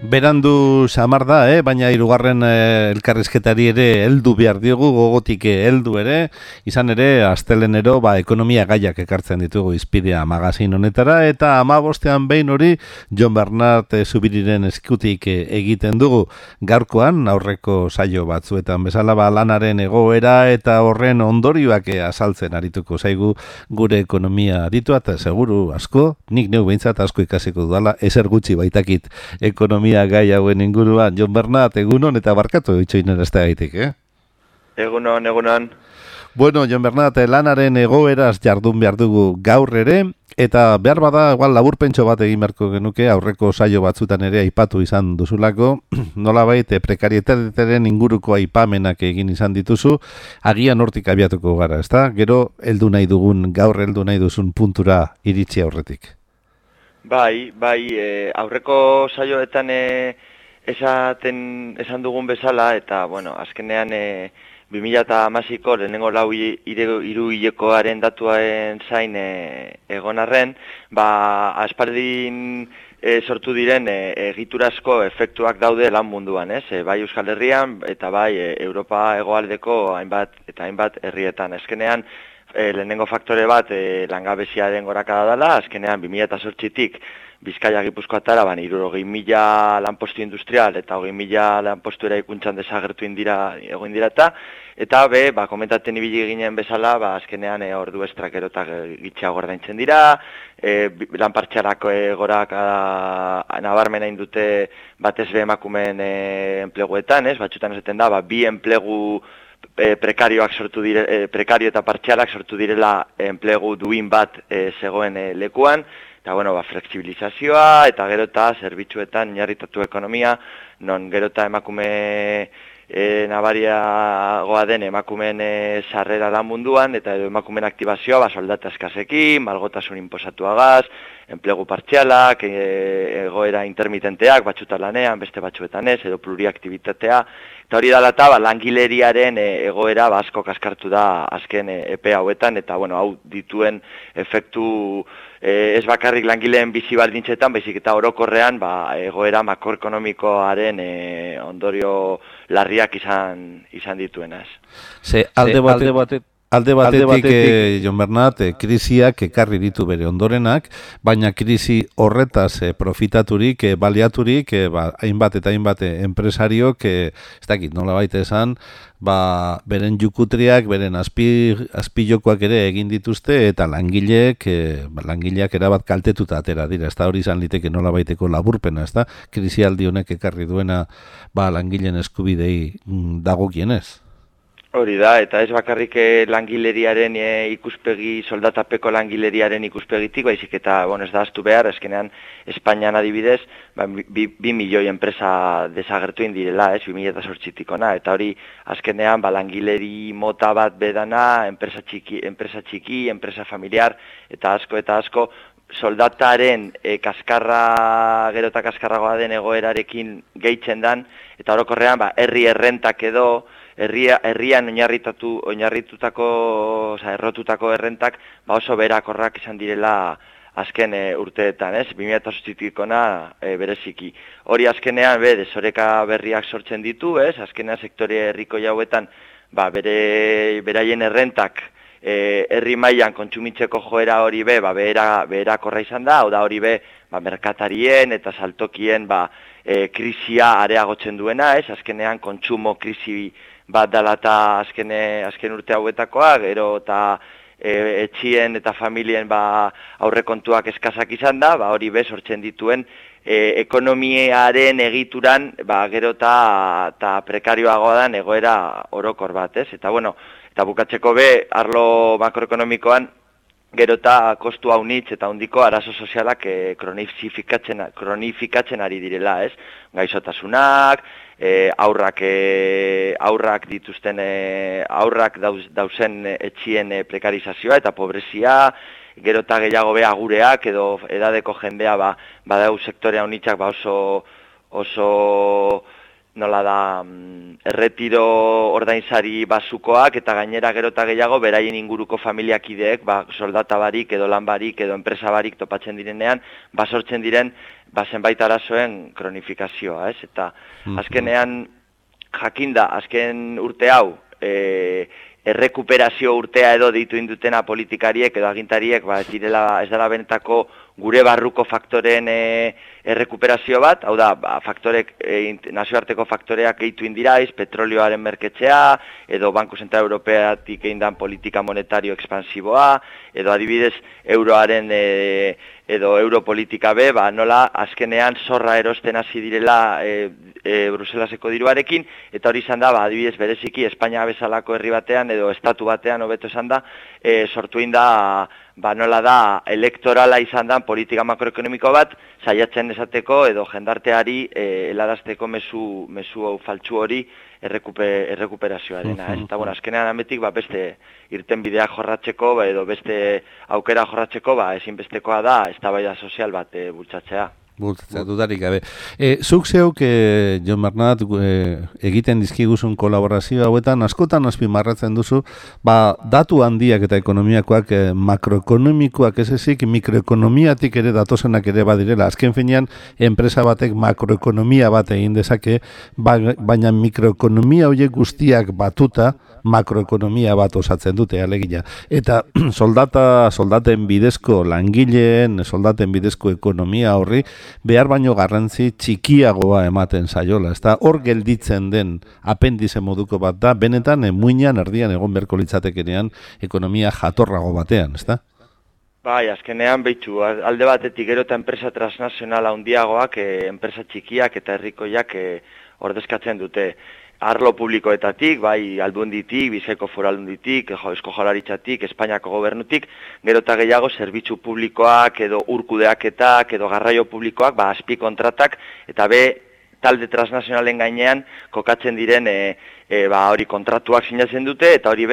Berandu samar da, baina hirugarren elkarrizketari ere heldu behar diogu, gogotik heldu ere, izan ere, astelenero ekonomia gaiak ekartzen ditugu izpidea magazin honetara, eta 15ean behin hori Jon Bernat Zubiriren eskutik egiten dugu. Gaurkoan, aurreko saio batzuetan bezala lanaren egoera eta horren ondorioak azaltzen arituko zaigu gure ekonomia aditua, eta seguru asko, nik neu behintzat asko ikasiko dudala, ezer gutxi baitakit ekonomia gai hauen inguruan. Jon Bernat, egunon eta barkatu itxoinen ez da gaitik, Egunon, egunon. Bueno, Jon Bernat, lanaren egoeraz jardun behar dugu gaur ere, eta behar bada, igual laburpentso bat egin beharko genuke, aurreko saio batzutan ere aipatu izan duzulako, nolabait prekarietateren inguruko aipamenak egin izan dituzu, agian hortik abiatuko gara, ezta? Gero, gaur heldu nahi duzun puntura iritsi aurretik. Bai, aurreko saioetan esan dugun bezala, eta, bueno, azkenean 2016ko lehenengo hiru hilekoaren datuaren zain egon arren, aspaldin sortu diren egiturazko efektuak daude lan munduan, bai Euskal Herrian eta bai Europa hegoaldeko hainbat herrietan. Azkenean, lehenengo faktore bat langabeziaren gorakada dela, azkenean 2008tik Bizkaia Gipuzkoatara 60.000 lanpostu industrial eta 20.000 lanpostu eraikuntzan desagertu egon dira eta komentatzen ibili ginen bezala, azkenean ordu estrak gero eta gitxeago ordaintzen dira, lan partzialako gorakada nabarmena indute batez be emakumeen enpleguetan, batzutan esaten da, bi enplegu prekarioak sortu prekario eta partzialak sortu direla enplegu duin bat zegoen lekuan, eta flexibilizazioa eta gero eta zerbitzuetan oinarritatu ekonomia, non gero eta emakume nabariagoa den emakumeen sarrera lan munduan, eta emakumeen aktibazioa soldata eskasekin, malgotasun inposatuagaz, enplegu partzialak, egoera intermitenteak, batzutan lanean, beste batzuetan ez, edo pluriaktibitatea, eta hori dela eta langileriaren egoera asko kaskartu da azken epe hauetan, eta hau dituen efektu ez bakarrik langileen bizi baldintzetan, baizik eta orokorrean egoera makroekonomikoaren ondorio larriak izan dituenaz. Alde batetik, Jon Bernat, krisiak ekarri ditu bere ondorenak, baina krisi horretaz profitaturik, baliaturik, hainbat eta hainbat enpresariok, ez dakit, nola baita esan, beren jukutriak, beren azpijokoak ere egin dituzte, eta langileak erabat kaltetuta atera dira, ez da hori izan liteke nola baiteko laburpena, ez da, krisialdi honek ekarri duena langileen eskubidei dagokienez. Hori da, eta ez bakarrik langileriaren ikuspegi, soldatapeko langileriaren ikuspegitik, baizik eta, ez da ahaztu behar, azkenean Espainian adibidez, 2 milioi enpresa desagertu indirela, 2008tik ona, eta hori azkenean langileri mota bat bedana, enpresa txiki, enpresa familiar, eta asko, soldataren gero eta kaskarragoa den egoerarekin gehitzen dan, eta orokorrean herri errentak edo, herrian oinarritutako, errotutako errentak oso berakorrak izan direla azken urteetan, 2008tik ona bereziki. Hori azkenean desoreka berriak sortzen ditu, azkenean sektore herriko jauetan beraien errentak herri mailan kontsumitzeko joera hori beherakorra izan da, hau da hori merkatarien eta saltokien krisia areagotzen duena, azkenean kontsumo krisi bat dela eta azken urte hauetakoa, gero eta etxien eta familien aurrekontuak eskazak izan da, hori sortzen dituen ekonomiaren egituran gero eta prekarioagoa den egoera orokor bat, eta eta bukatzeko arlo makroekonomikoan gero eta kostu haunitz eta handiko arazo sozialak kronifikatzen ari direla, gaixotasunak, aurrak dituzten aurrak dauzen etxien prekarizazioa eta pobrezia, gero eta gehiago agureak edo edadeko jendea badau sektorea haunitzak oso nola da erretiro ordainsari basukoak eta gainera gero eta gehiago beraien inguruko familiakideek soldata barik edo lan barik edo enpresa barik topatzen direnean sortzen diren zenbait arazoen kronifikazioa, ez? Eta azkenean jakinda azken urte hau errekuperazio urtea edo deitu indutena politikariek edo agintariek ez dela benetako gure barruko faktoren errekuperazio bat, hau da, nazioarteko faktoreak gehitu indiraiz, petrolioaren merketzea, edo Banku Zentral Europeatik egin politika monetario ekspansiboa, edo adibidez euroaren edo europolitika be, nola azkenean zorra erosten hasi direla Bruselaseko diruarekin, eta hori izan da, adibidez bereziki Espainia bezalako herri batean edo estatu batean hobeto esan da, sortu da nola da elektorala izan da politika makroekonomiko bat, saiatzen esateko edo jendarteari helarazteko mezu faltsu hori errekuperazioarena. Eta azkenean ametik beste irtenbidea jorratzeko edo beste aukera jorratzeko ezinbestekoa da eztabaida sozial bat bultzatzea. Dudarik gabe. Zuk zeuk, Jon Bernat, egiten dizkiguzun kolaborazio hauetan, askotan azpimarratzen duzu, datu handiak eta ekonomiakoak makroekonomikoak ez ezik, mikroekonomiatik ere datozenak ere badirela. Azken finean, enpresa batek makroekonomia bat egin dezake, baina mikroekonomia horiek guztiak batuta, makroekonomia bat osatzen dute, alegia. Eta soldaten bidezko langileen, soldaten bidezko ekonomia horri, behar baino garrantzi txikiagoa ematen zaiola. Ezta hor gelditzen den apendize moduko bat da, benetan muinean erdian egon beharko litzatekenean ekonomia jatorrago batean, ezta? Azkenean behitu, alde batetik gero eta enpresa transnazionala handiagoak, enpresa txikiak eta herrikoiak ordezkatzen dute. Arlo publikoetatik, Aldunditik, Bizkaiko Foru Aldunditik, Eusko Jaurlaritzatik, Espainiako Gobernutik, gero eta gehiago zerbitzu publikoak edo urkudeaketak edo garraio publikoak, azpikontratak eta talde transnazionalen gainean kokatzen diren hori kontratuak sinatzen dute eta hori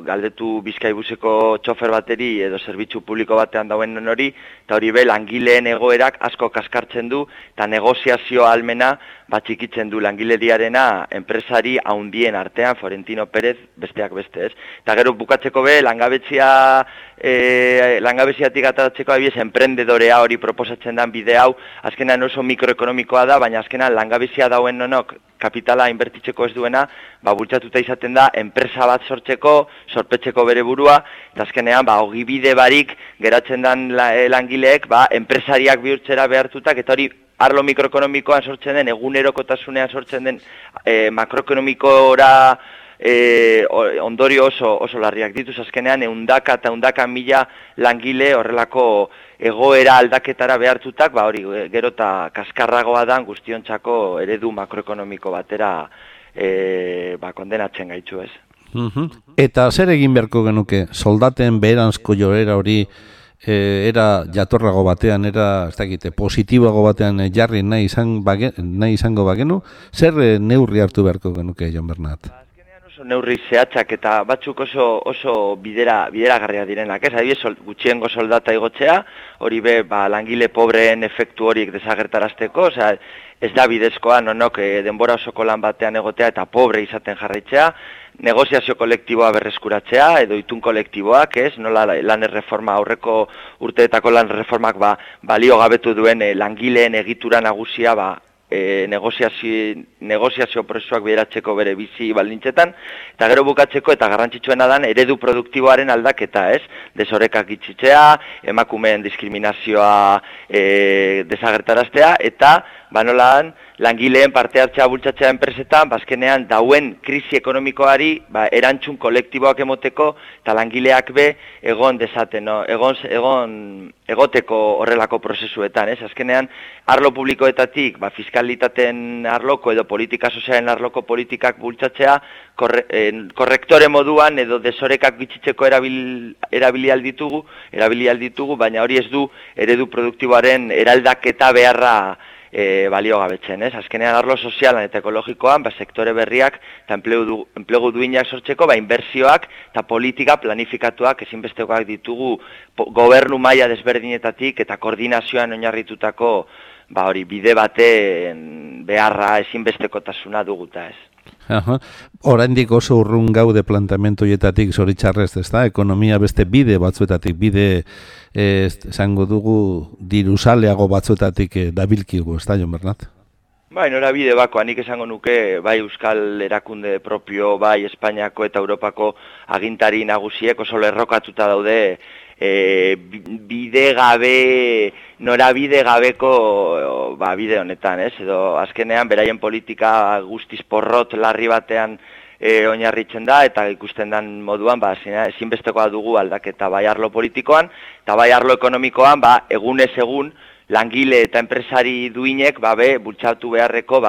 galdetu Bizkaibuseko txofer bateri edo zerbitzu publiko batean dauen hori eta hori langileen egoerak asko kaskartzen du eta negoziazio ahalmena txikitzen du langileriarena enpresari haundien artean, Florentino Pérez besteak beste, ez? Eta gero bukatzeko langabeziatik ataratzeko enprendedorea hori proposatzen den bide hau, azkenan oso mikroekonomikoa da, baina azkenan langabezia dauen nonok kapitala inbertitzeko ez duena, bultzatuta izaten da enpresa bat sorpetzeko bere burua, eta azkenean ogibide barik geratzen den langileek enpresariak bihurtzera behartutak, eta hori arlo mikroekonomikoan sortzen den, egunerokotasunean sortzen den makroekonomikora ondorio oso larriak dituz, azkenean eundaka eta eundaka mila langile horrelako egoera aldaketara behartutak, hori gero eta kaskarragoa da guztiontzako eredu makroekonomiko batera kondenatzen gaitzu, ez? Eta zer egin beharko genuke, soldaten beheranzko joera hori era jatorrago batean, era positiboago batean jarri nahi izango bagenu, zer neurri hartu beharko genuke, Jon Bernat? Neurri zehatzak eta batzuk oso bideragarria direnak, ez? Adibidez, gutxiengo soldata igotzea, hori langile pobreen efektu horiek desagertarazteko, ez da bidezkoa nonok denbora osoko lan batean egotea eta pobre izaten jarraitzea, negoziazio kolektiboa berreskuratzea edo itun kolektiboak, ez? Nola lan erreforma, aurreko urteetako lan erreformak balio gabetu duen langileen egitura nagusia negoziazio prozesuak bideratzeko bere bizi baldintzetan, eta gero bukatzeko eta garrantzitsuena dan eredu produktiboaren aldaketa, ez? Desorekak itxitzea, emakumeen diskriminazioa desagertaraztea, eta nolan langileen parte hartzea bultzatzea enpresetan, azkenean dauen krisi ekonomikoari erantzun kolektiboak emoteko eta langileak egon dezaten, egoteko horrelako prozesuetan, ez? Azkenean arlo publikoetatik fiskalitateen arloko edo politika sozialen arloko politikak bultzatzea korrektore moduan edo desorekak bitxitzeko erabili alditugu, baina hori ez du eredu produktiboaren eraldaketa beharra balio gabetzen, ez? Azkenean arlo sozialan eta ekologikoan, sektore berriak eta enplegu duinak sortzeko, inbertsioak eta politika planifikatuak ezinbestekoak ditugu gobernu maila desberdinetatik eta koordinazioan oinarritutako hori bide beharra, ezinbestekotasuna duguta ez. Oraindik oso urrun gaude plantamentu hietatik zoritxarrez, ezta? Ekonomia beste bide batzuetatik, esango dugu diruzaleago batzuetatik dabilkigu, ezta, Jon Bernat? Bai, norabide bakoa, nik esango nuke, bai Euskal erakunde propio, bai Espainiako eta Europako agintari nagusiek oso lerrokatuta daude norabide gabeko bide honetan, ez? Edo azkenean beraien politika guztiz porrot larri batean oinarritzen da, eta ikusten den moduan, ezinbestekoa dugu aldaketa bai arlo politikoan, eta bai arlo ekonomikoan, egunez egun, langile eta enpresari duinek bultzatu beharreko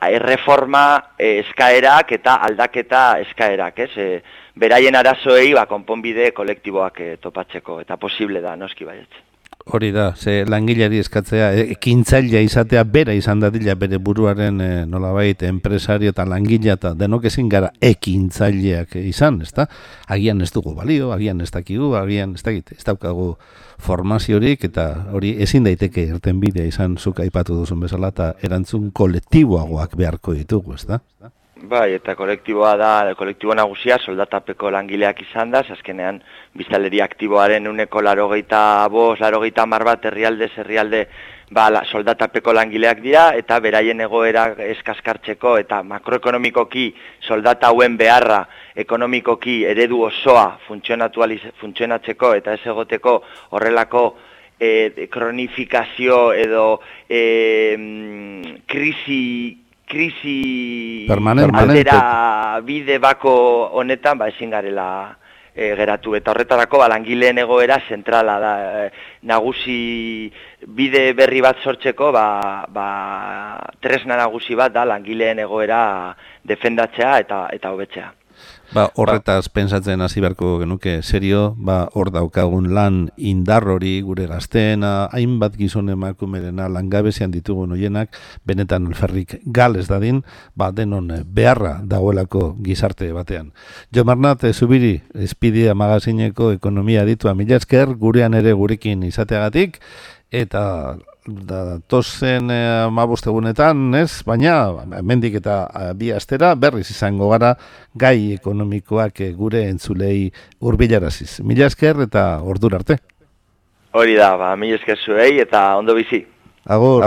erreforma eskaerak eta aldaketa eskaerak, ez? Beraien arazoei konponbide kolektiboak topatzeko, eta posible da, noski baietz. Hori da, ze langileari eskatzea, ekintzailea izatea bera izan dadila bere buruaren nolabait enpresario eta langilea eta denok ezin gara ekintzaileak izan, ezta? Agian ez dugu balio, agian ez dakigu, agian ez daukagu formaziorik, eta hori ezin daiteke irtenbidea izan zuk aipatu duzun bezala, eta erantzun kolektiboagoak beharko ditugu, ezta? Bai, eta kolektibo nagusia soldatapeko langileak izan da, azkenean biztanleria aktiboaren 80-90 bat herrialde soldatapeko langileak dira, eta beraien egoera eskaskartzeko eta makroekonomikoki soldata hauen beharra ekonomikoki eredu osoa funtzionatzeko eta ez egoteko horrelako kronifikazio edo krisi aldera bide bako honetan ezin garela geratu, eta horretarako langileen egoera zentrala da, nagusi bide berri bat sortzeko tresna nagusi bat da langileen egoera defendatzea eta hobetzea. Horretaz pentsatzen hasi beharko genuke serio, hor daukagun lan indar hori gure gazteena, hainbat gizon emakumerena langabezian ditugun hoienak, benetan alferrik gales dadin, denon beharra dagoelako gizarte batean. Jon Bernat Zubiri, Izpidia magazineko ekonomia aditua, mila esker gurean ere gurekin izateagatik, eta datozen 15 egunetan, ez? Baina, hemendik eta 2 astera berriz izango gara gai ekonomikoak gure entzulei hurbilaraziz. Mila esker eta ordura arte. Hori da, mila esker zuei eta ondo bizi. Agur.